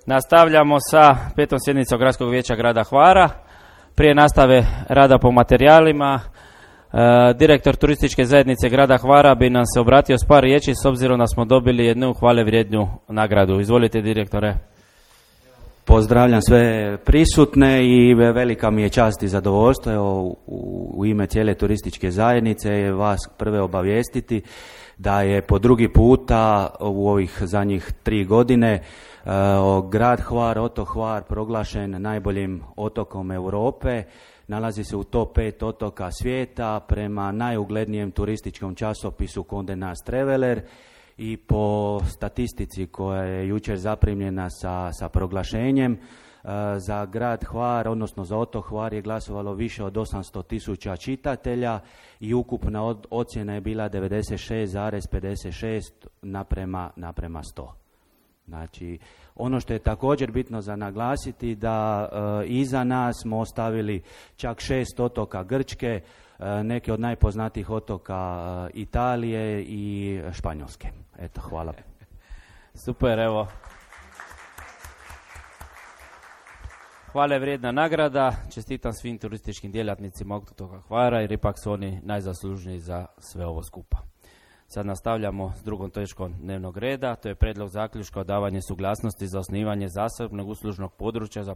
Nastavljamo sa 5. sjednicom Gradskog vijeća grada Hvara. Prije nastave rada po materijalima, direktor turističke zajednice grada Hvara bi nam se obratio s par riječi s obzirom da smo dobili jednu hvale vrijednu nagradu. Izvolite, direktore. Pozdravljam sve prisutne i velika mi je čast i zadovoljstvo u ime cijele turističke zajednice vas prve obavijestiti da je po drugi puta u ovih zadnjih 3 godine grad Hvar, otok Hvar proglašen najboljim otokom Europe. Nalazi se u top 5 otoka svijeta prema najuglednijem turističkom časopisu Condé Nast Traveler i po statistici koja je jučer zaprimljena sa proglašenjem. Za grad Hvar, odnosno za otok Hvar je glasovalo više od 800.000 čitatelja i ukupna ocjena je bila 96,56 naprema 100. Znači, ono što je također bitno za naglasiti da iza nas smo ostavili čak 6 otoka Grčke, neke od najpoznatijih otoka Italije i Španjolske. Eto, hvala. Super, evo. Hvale vrijedna nagrada, čestitam svim turističkim djelatnicima otoka Hvara jer ipak su oni najzaslužniji za sve ovo skupa. Sad nastavljamo s drugom točkom dnevnog reda, to je prijedlog zaključka o davanju suglasnosti za osnivanje zasebnog uslužnog područja za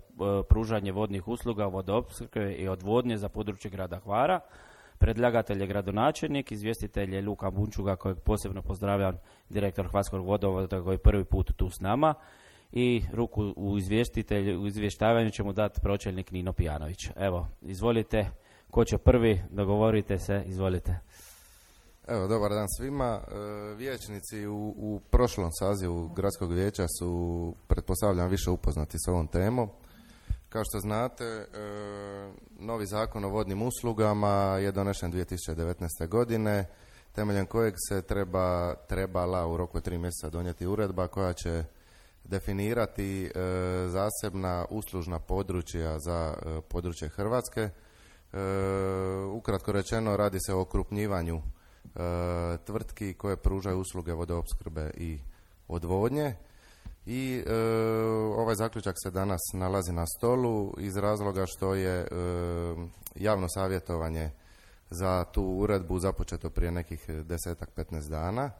pružanje vodnih usluga, vodoopskrbe i odvodnje za područje grada Hvara. Predlagatelj je gradonačelnik, izvjestitelj je Luka Bunčuga kojeg posebno pozdravljam, direktor Hvarskog vodovoda koji je prvi put tu s nama. I ruku u izvještavanju će mu dati pročelnik Nino Pijanović. Evo, izvolite, ko će prvi, dogovorite se, izvolite. Evo, dobar dan svima. Vijećnici u prošlom sazivu Gradskog vijeća su, pretpostavljam, više upoznati s ovom temom. Kao što znate, novi zakon o vodnim uslugama je donešen 2019. godine, temeljem kojeg se trebala u roku 3 mjeseca donijeti uredba koja će definirati zasebna uslužna područja za područje Hrvatske. Ukratko rečeno, radi se o okrupnjivanju tvrtki koje pružaju usluge vodoopskrbe i odvodnje. I ovaj zaključak se danas nalazi na stolu iz razloga što je javno savjetovanje za tu uredbu započeto prije nekih 10-15 dana.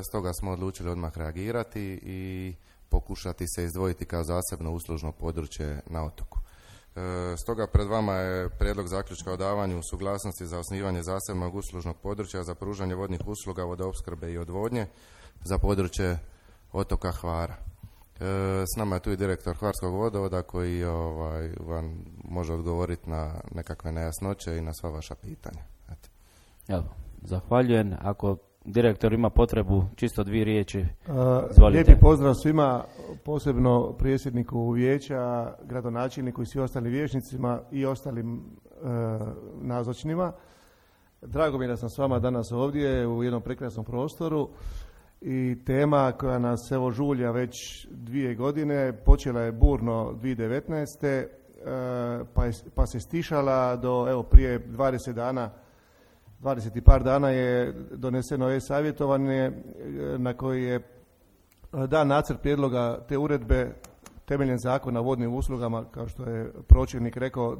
Stoga smo odlučili odmah reagirati i pokušati se izdvojiti kao zasebno uslužno područje na otoku. Stoga pred vama je prijedlog zaključka o davanju suglasnosti za osnivanje zasebnog uslužnog područja za pružanje vodnih usluga, vodoopskrbe i odvodnje za područje otoka Hvara. S nama je tu i direktor Hvarskog vodovoda koji vam može odgovoriti na nekakve nejasnoće i na sva vaša pitanja. Evo, zahvaljujem. Ako direktor ima potrebu, čisto 2 riječi, izvolite. Lijepi pozdrav svima, posebno predsjedniku vijeća, gradonačelniku i svim ostalim vijećnicima i ostalim nazočnima. Drago mi je da sam s vama danas ovdje u jednom prekrasnom prostoru i tema koja nas evo žulja već 2 godine, počela je burno 2019. Pa se stišala do evo prije 20 dana, 20 i par dana je doneseno e-savjetovanje na koji je dan nacrt prijedloga te uredbe temeljem zakona o vodnim uslugama, kao što je pročelnik rekao,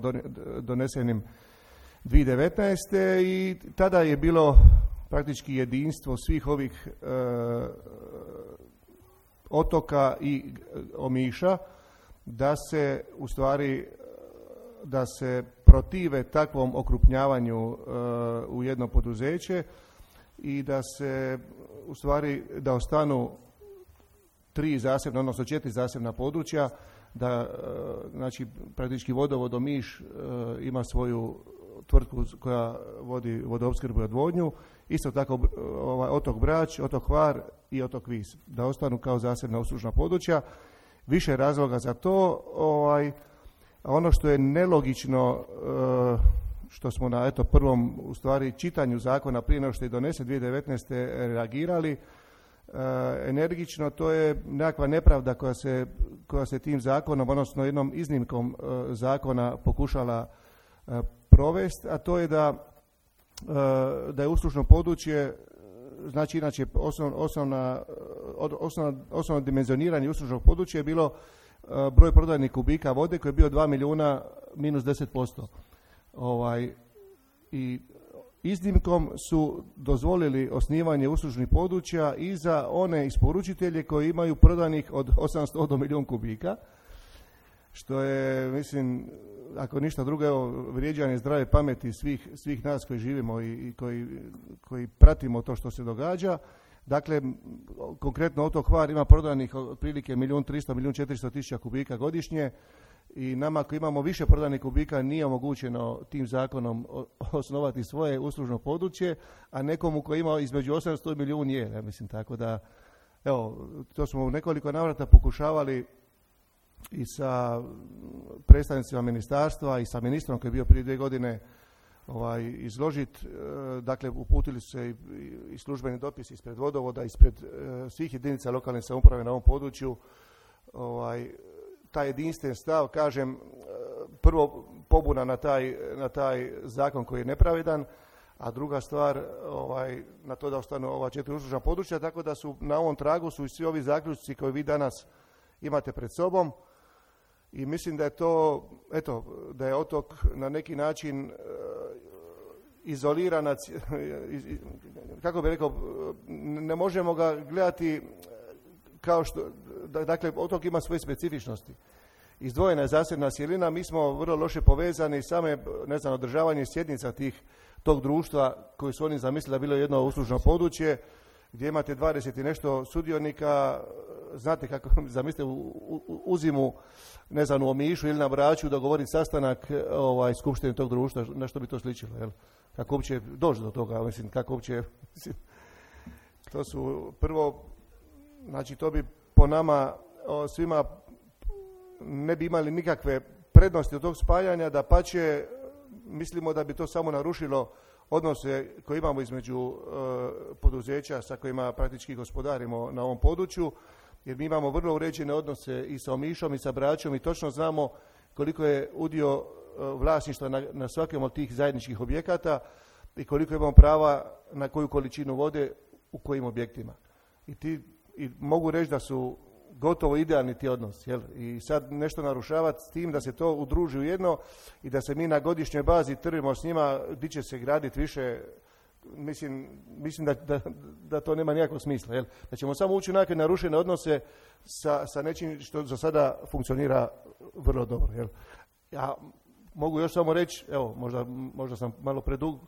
donesenim 2019. I tada je bilo praktički jedinstvo svih ovih otoka i Omiša da se u stvari protive takvom okrupnjavanju u jedno poduzeće i da se u stvari da ostanu 3 zasebna, odnosno 4 zasebna područja, da znači praktički vodovod Omiš ima svoju tvrtku koja vodi vodoopskrbu i odvodnju, isto tako otok Brač, otok Hvar i otok Vis, da ostanu kao zasebna uslužna područja. Više razloga za to. Ono što je nelogično, što smo na prvom u stvari čitanju zakona prije nego što je donesen 2019. reagirali energično, to je nekakva nepravda koja se tim zakonom, odnosno jednom iznimkom zakona pokušala provesti, a to je da je uslužno područje znači inače osnovno dimenzioniranje uslužnog područja je bilo broj prodajnih kubika vode koji je bio 2 milijuna minus 10%. I iznimkom su dozvolili osnivanje uslužnih područja i za one isporučitelje koji imaju prodanih od 800 do milijun kubika, što je, mislim, ako ništa drugo, evo, vrijeđanje zdrave pameti svih nas koji živimo i koji pratimo to što se događa. Dakle, konkretno otok Hvar ima prodanih otprilike 1.300.000-1.400.000 kubika godišnje i nama koji imamo više prodanih kubika nije omogućeno tim zakonom osnovati svoje uslužno područje, a nekomu koji ima između 800 i milijun je. Ja mislim, tako da, evo, to smo u nekoliko navrata pokušavali i sa predstavnicima ministarstva i sa ministrom koji je bio prije 2 godine izložiti. Dakle, uputili su se i službeni dopis ispred vodovoda, ispred svih jedinica lokalne samouprave na ovom području. Taj jedinstven stav, kažem, prvo pobuna na taj zakon koji je nepravedan, a druga stvar na to da ostanu ova 4 uslužna područja, tako da su na ovom tragu su i svi ovi zaključci koje vi danas imate pred sobom. I mislim da je to, eto, da je otok na neki način izoliran, kako bih rekao, ne možemo ga gledati kao što, dakle, otok ima svoje specifičnosti. Izdvojena je zasebna cjelina, mi smo vrlo loše povezani, same, ne znam, održavanje sjednica tog društva koji su oni zamislili da bilo jedno uslužno područje, gdje imate 20 i nešto sudionika, znate kako, zamislite u zimu, ne znam, u Omišu ili na Braču dogovoriti sastanak skupštine tog društva, na što bi to sličilo, jel? Kako uopće doći do toga, mislim, kako uopće, to su prvo, znači to bi po nama svima ne bi imali nikakve prednosti od tog spajanja, dapače, mislimo da bi to samo narušilo odnose koje imamo između poduzeća sa kojima praktički gospodarimo na ovom području, jer mi imamo vrlo uređene odnose i sa Omišom i sa Bračom i točno znamo koliko je udio vlasništva na svakom od tih zajedničkih objekata i koliko imamo prava na koju količinu vode u kojim objektima. I mogu reći da su gotovo idealni ti odnosi. Jel? I sad nešto narušavati s tim da se to udruži u jedno i da se mi na godišnjoj bazi trvimo s njima gdje će se graditi više, mislim da to nema nikakvog smisla. Jel? Da ćemo samo ući u nekakve narušene odnose sa nečim što za sada funkcionira vrlo dobro. Jel? Ja mogu još samo reći, evo, možda sam malo predug,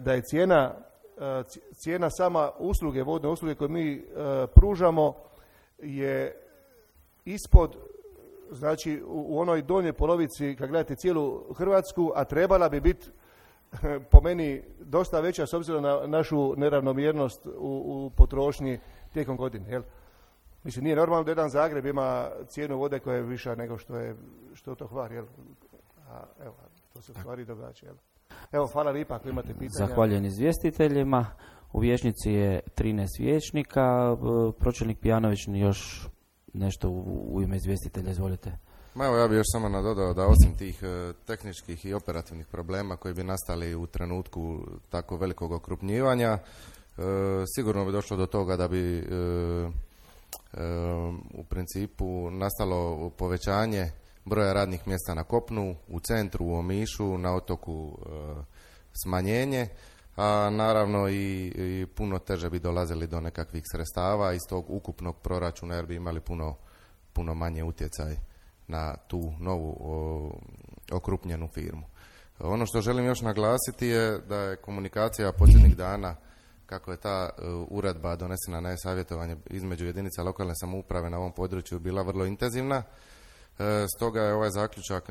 da je cijena sama usluge, vodne usluge koje mi pružamo je ispod, znači u onoj donjoj polovici kad gledate cijelu Hrvatsku, a trebala bi biti po meni dosta veća s obzirom na našu neravnomjernost u potrošnji tijekom godine. Jel? Mislim, nije normalno da jedan Zagreb ima cijenu vode koja je viša nego što je to Hvar. Jel? A evo, to se u stvari događa. Jel? Evo, hvala lijepa ako imate pitanja. Zahvaljujem izvjestiteljima. U vijećnici je 13 vijećnika. Pročelnik Pijanović još nešto u ime izvjestitelja, izvolite. Evo, ja bih još samo nadodao da osim tih tehničkih i operativnih problema koji bi nastali u trenutku tako velikog okrupnjivanja, sigurno bi došlo do toga da bi u principu nastalo povećanje broja radnih mjesta na kopnu, u centru, u Omišu, na otoku smanjenje, a naravno i puno teže bi dolazili do nekakvih sredstava iz tog ukupnog proračuna jer bi imali puno manje utjecaj na tu novu okrupnjenu firmu. Ono što želim još naglasiti je da je komunikacija posljednjih dana, kako je ta uredba donesena na e-savjetovanje između jedinica lokalne samouprave na ovom području bila vrlo intenzivna. Stoga je ovaj zaključak,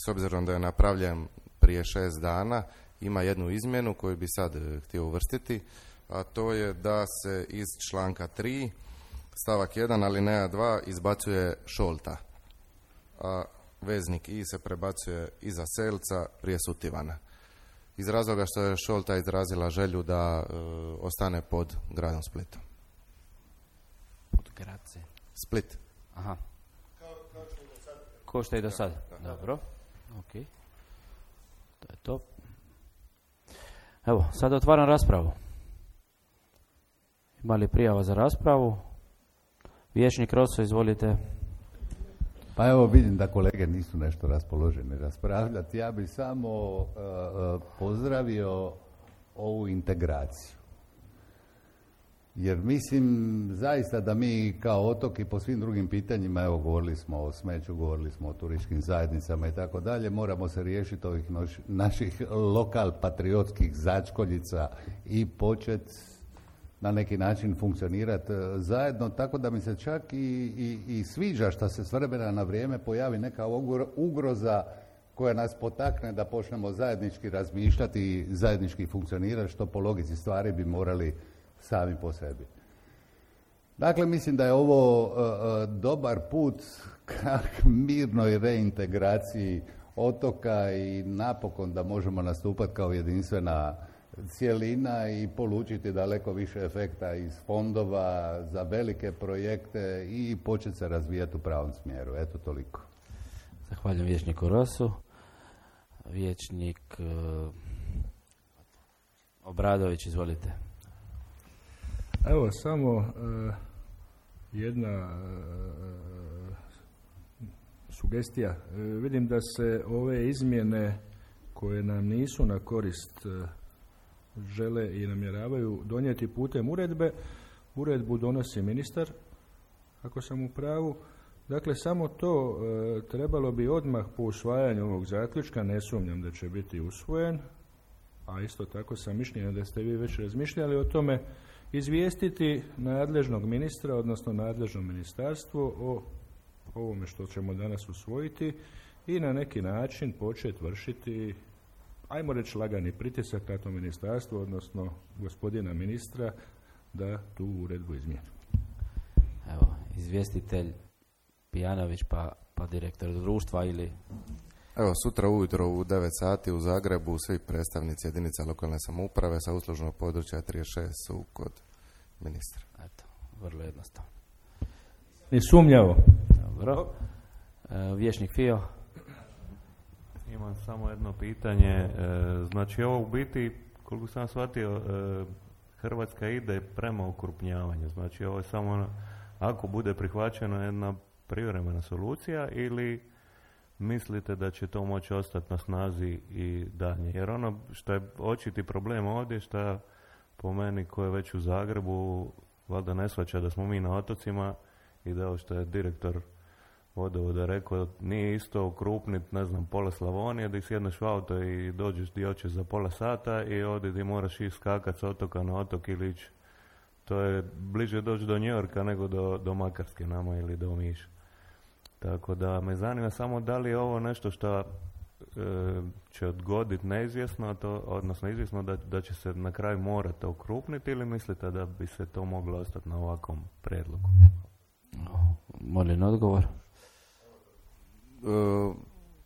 s obzirom da je napravljen prije 6 dana, ima jednu izmjenu koju bi sad htio uvrstiti, a to je da se iz članka 3 stavak 1 alineja 2 izbacuje šolta, a veznik i se prebacuje iza Selca prije Sutivana. Iz razloga što je šolta izrazila želju da ostane pod gradom Splitom. Pod Grace. Split. Aha. Ko što je i do sada. Dobro. Ok. To je to. Evo, sad otvaram raspravu. Ima li prijava za raspravu? Vijećnik Rosso, izvolite. Pa evo, vidim da kolege nisu nešto raspoloženi raspravljati. Ja bih samo pozdravio ovu integraciju. Jer mislim zaista da mi kao otok i po svim drugim pitanjima, evo govorili smo o smeću, govorili smo o turističkim zajednicama i tako dalje, moramo se riješiti ovih naših lokal patriotskih začkoljica i početi na neki način funkcionirati zajedno, tako da mi se čak i sviđa što se s vremena na vrijeme pojavi neka ugroza koja nas potakne da počnemo zajednički razmišljati i zajednički funkcionirati, što po logici stvari bi morali sami po sebi. Dakle, mislim da je ovo dobar put ka mirnoj reintegraciji otoka i napokon da možemo nastupati kao jedinstvena cjelina i polučiti daleko više efekta iz fondova za velike projekte i početi se razvijati u pravom smjeru. Eto, toliko. Zahvaljujem vijećniku Rosu. Vijećnik Obradović, izvolite. Evo, samo jedna sugestija. Vidim da se ove izmjene koje nam nisu na korist žele i namjeravaju donijeti putem uredbe. Uredbu donosi ministar, ako sam u pravu. Dakle, samo to trebalo bi odmah po usvajanju ovog zaključka, ne sumnjam da će biti usvojen, a isto tako sam mišljenja da ste vi već razmišljali o tome, izvijestiti nadležnog ministra, odnosno nadležno ministarstvo o ovome što ćemo danas usvojiti i na neki način početi vršiti, ajmo reći, lagani pritisak na to ministarstvo, odnosno gospodina ministra, da tu uredbu izmijeni. Evo, izvjestitelj Pijanović pa direktor društva ili... Evo, sutra ujutro u 9 sati u Zagrebu svi predstavnici jedinica lokalne samouprave sa uslužnog područja 36 su kod ministra. Eto, vrlo jednostavno. I sumnjavo. Dobro. Vijećnik Fio. Imam samo jedno pitanje. Znači, ovo u biti, koliko sam shvatio, Hrvatska ide prema okrupnjavanju. Znači, ovo je samo, ako bude prihvaćena, jedna privremena solucija ili mislite da će to moći ostati na snazi i dalje? Jer ono što je očiti problem ovdje, što po meni ko je već u Zagrebu, valjda ne shvaća da smo mi na otocima i da ovo što je direktor vodovoda rekao, nije isto okrupniti, ne znam, pola Slavonije, da sjedneš u auto i dođeš gdje hoćeš za pola sata i ovdje gdje moraš skakati s otoka na otok ili ići. To je bliže doći do Njujorka nego do Makarske nama ili do Omiša. Tako da me zanima samo da li je ovo nešto što će odgoditi neizvjesno, odnosno izvjesno da će se na kraju morati okrupniti ili mislite da bi se to moglo ostati na ovakvom prijedlogu? Molim odgovor.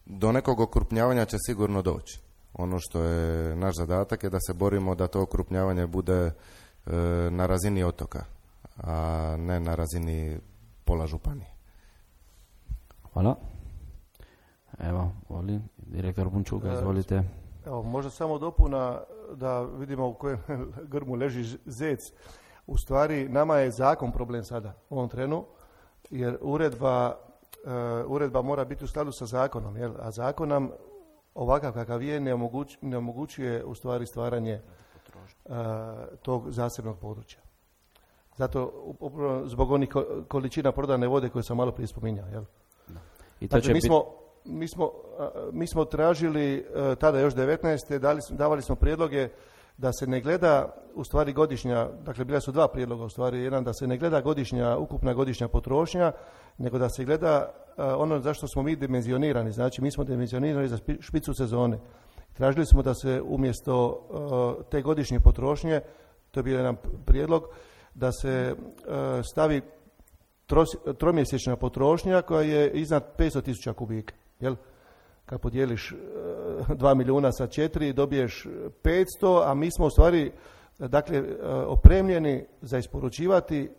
Do nekog okrupnjavanja će sigurno doći. Ono što je naš zadatak je da se borimo da to okrupnjavanje bude na razini otoka, a ne na razini pola županije. Hvala. Evo, volim. Direktor Bunčuga, izvolite. Evo, možda samo dopuna da vidimo u kojem grmu leži zec. U stvari, nama je zakon problem sada, u ovom trenu, jer uredba mora biti u skladu sa zakonom, jel? A zakon nam ovakav kakav je ne omogućuje u stvari stvaranje tog zasebnog područja. Zato, zbog onih količina prodane vode koje sam malo prije spominjao, jel? I to dakle, mi smo tražili tada još 19. davali smo prijedloge da se ne gleda u stvari godišnja, dakle bila su dva prijedloga u stvari, jedan da se ne gleda ukupna godišnja potrošnja, nego da se gleda ono zašto smo mi dimenzionirani, znači mi smo dimenzionirani za špicu sezone. Tražili smo da se umjesto te godišnje potrošnje, to je bio jedan prijedlog, da se stavi tromjesečna potrošnja koja je iznad 500.000 kubika. Jel? Kad podijeliš 2 milijuna sa 4, dobiješ 500, a mi smo u stvari opremljeni za isporučivati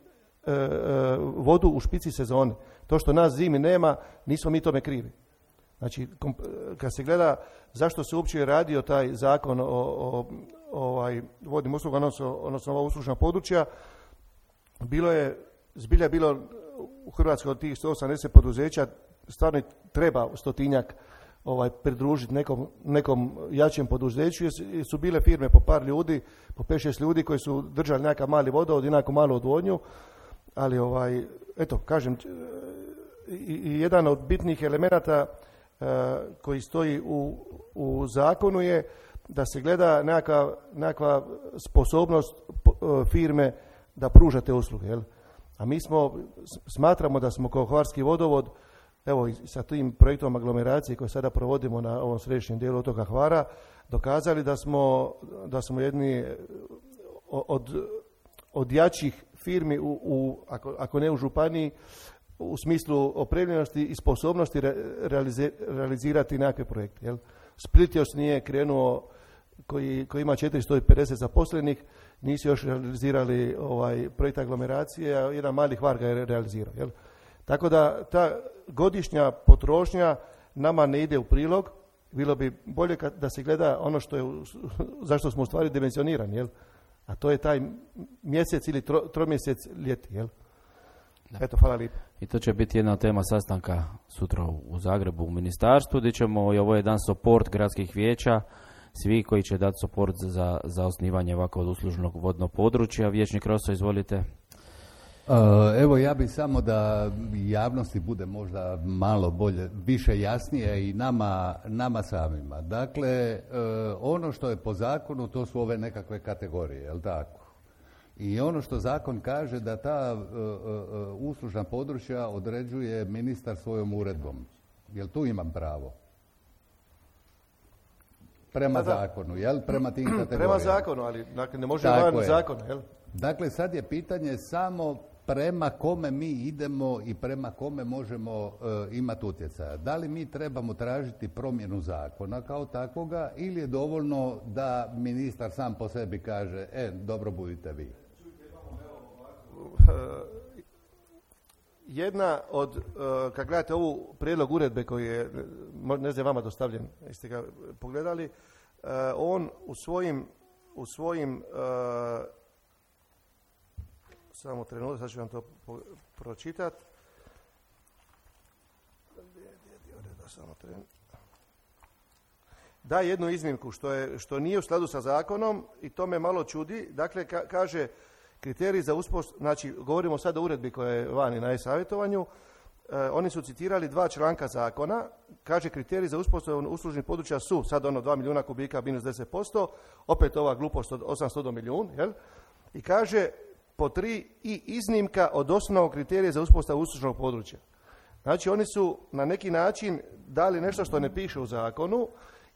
vodu u špici sezone. To što nas zimi nema, nismo mi tome krivi. Znači, kad se gleda zašto se uopće radio taj zakon o vodnim uslugama, odnosno ova uslužna područja, zbilja bilo u Hrvatskoj od tih 180 poduzeća, stvarno treba 100-tinjak pridružiti nekom jačem poduzeću, jer su bile firme po par ljudi, po 5-6 ljudi koji su držali nekakav mali vodovod i nekakvu malu odvodnju, ali eto, kažem, i jedan od bitnih elemenata koji stoji u zakonu je da se gleda nekakva sposobnost firme da pruža te usluge. Jel? A mi smatramo da smo kao Hvarski vodovod, evo i sa tim projektom aglomeracije koje sada provodimo na ovom središnjem dijelu otoka Hvara, dokazali da smo jedni od jačih firmi, ako ne u županiji, u smislu opremljenosti i sposobnosti realizirati nekakve projekte. Jel? Split još nije krenuo, koji ima 450 zaposlenih, nisu još realizirali projekt aglomeracije, a jedan mali Hvar ga je realizirao. Jel? Tako da ta godišnja potrošnja nama ne ide u prilog, bilo bi bolje da se gleda ono zašto smo u stvari dimenzionirani, jel? A to je taj mjesec ili tromjesec ljeti. Jel? Eto, hvala lijepo. I to će biti jedna tema sastanka sutra u Zagrebu u ministarstvu, gdje ćemo, i ovo je dan support gradskih vijeća, svi koji će dati support za osnivanje ovakvog uslužnog vodnog područja. Vijećnik Roso, izvolite. Evo, ja bih samo da javnosti bude možda malo bolje, više jasnije i nama samima. Dakle, ono što je po zakonu, to su ove nekakve kategorije, jel tako? I ono što zakon kaže da ta uslužna područja određuje ministar svojom uredbom. Jel tu imam pravo? Prema zakonu, jel? Prema tim kategorijama. Prema zakonu, ali dakle, ne može van zakona, jel? Dakle, sad je pitanje samo prema kome mi idemo i prema kome možemo imati utjecaja. Da li mi trebamo tražiti promjenu zakona kao takvoga ili je dovoljno da ministar sam po sebi kaže, dobro budite vi? Jedna od, kad gledate ovu prijedlog uredbe koji je, ne znam, vama dostavljen, jeste ga pogledali, on u svojim samo trenutak, sad ću vam to pročitati. Da, jednu iznimku što nije u skladu sa zakonom i to me malo čudi. Dakle, kaže kriterij za uspostavu, znači govorimo sad o uredbi koja je vani na e-savjetovanju, oni su citirali 2 članka zakona, kaže kriterij za uspostavu uslužnih područja su sad 2 milijuna kubika minus 10%, opet ova glupost od 800 do milijun, jel? I kaže po 3 i iznimka od osnovnog kriterija za uspostavu uslužnog područja. Znači oni su na neki način dali nešto što ne piše u zakonu.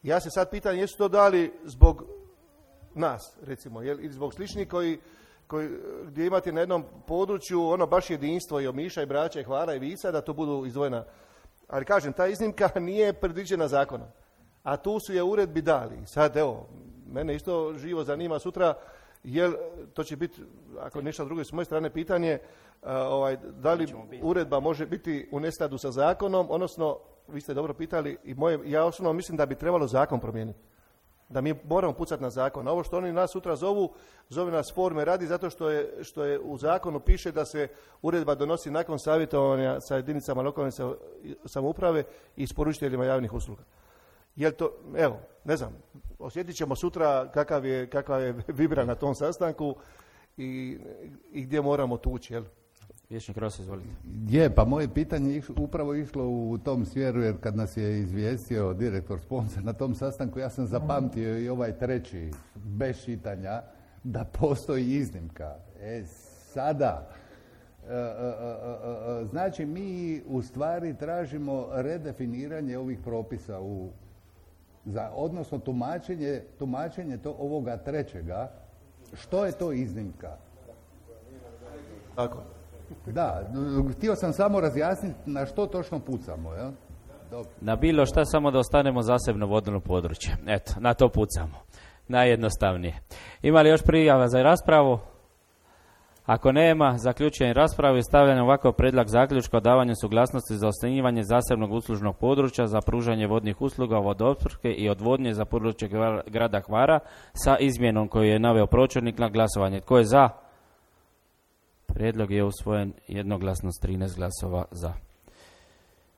Ja se sad pitam jesu to dali zbog nas, recimo, ili zbog sličnih gdje imate na jednom području baš jedinstvo i Omiša i Brača i Hvara i Visa, da to budu izdvojena. Ali kažem, ta iznimka nije predviđena zakonom. A tu su je uredbi dali. Sad evo, mene isto živo zanima sutra, jer to će biti, ako nešto drugo s moje strane pitanje, da li uredba može biti u neskladu sa zakonom, odnosno, vi ste dobro pitali, ja osobno mislim da bi trebalo zakon promijeniti. Da mi moramo pucati na zakon. A ovo što oni nas sutra zove nas forme radi zato što je u zakonu piše da se uredba donosi nakon savjetovanja sa jedinicama lokalne samouprave i isporučiteljima javnih usluga. Jel to, evo, ne znam, osjetit ćemo sutra kakav je vibra na tom sastanku i gdje moramo tući, jel? Vijećnik Rosa, izvolite. Pa moje pitanje je upravo išlo u tom smjeru, jer kad nas je izvijestio direktor sponsor na tom sastanku, ja sam zapamtio i ovaj treći, bez čitanja, da postoji iznimka. Sada, znači mi u stvari tražimo redefiniranje ovih propisa odnosno tumačenje ovoga trećega. Što je to iznimka? Tako. Da, htio sam samo razjasniti na što točno pucamo. Ja? Na bilo šta, samo da ostanemo zasebno vodno područje. Eto, na to pucamo. Najjednostavnije. Ima li još prijava za raspravu? Ako nema, zaključujem raspravu i stavljam ovakav predlog zaključka o davanju suglasnosti za osnivanje zasebnog uslužnog područja za pružanje vodnih usluga, vodoopskrbe i odvodnje za područje grada Hvara sa izmjenom koju je naveo pročelnik na glasovanje. Tko je za? Prijedlog je usvojen jednoglasno s 13 glasova za.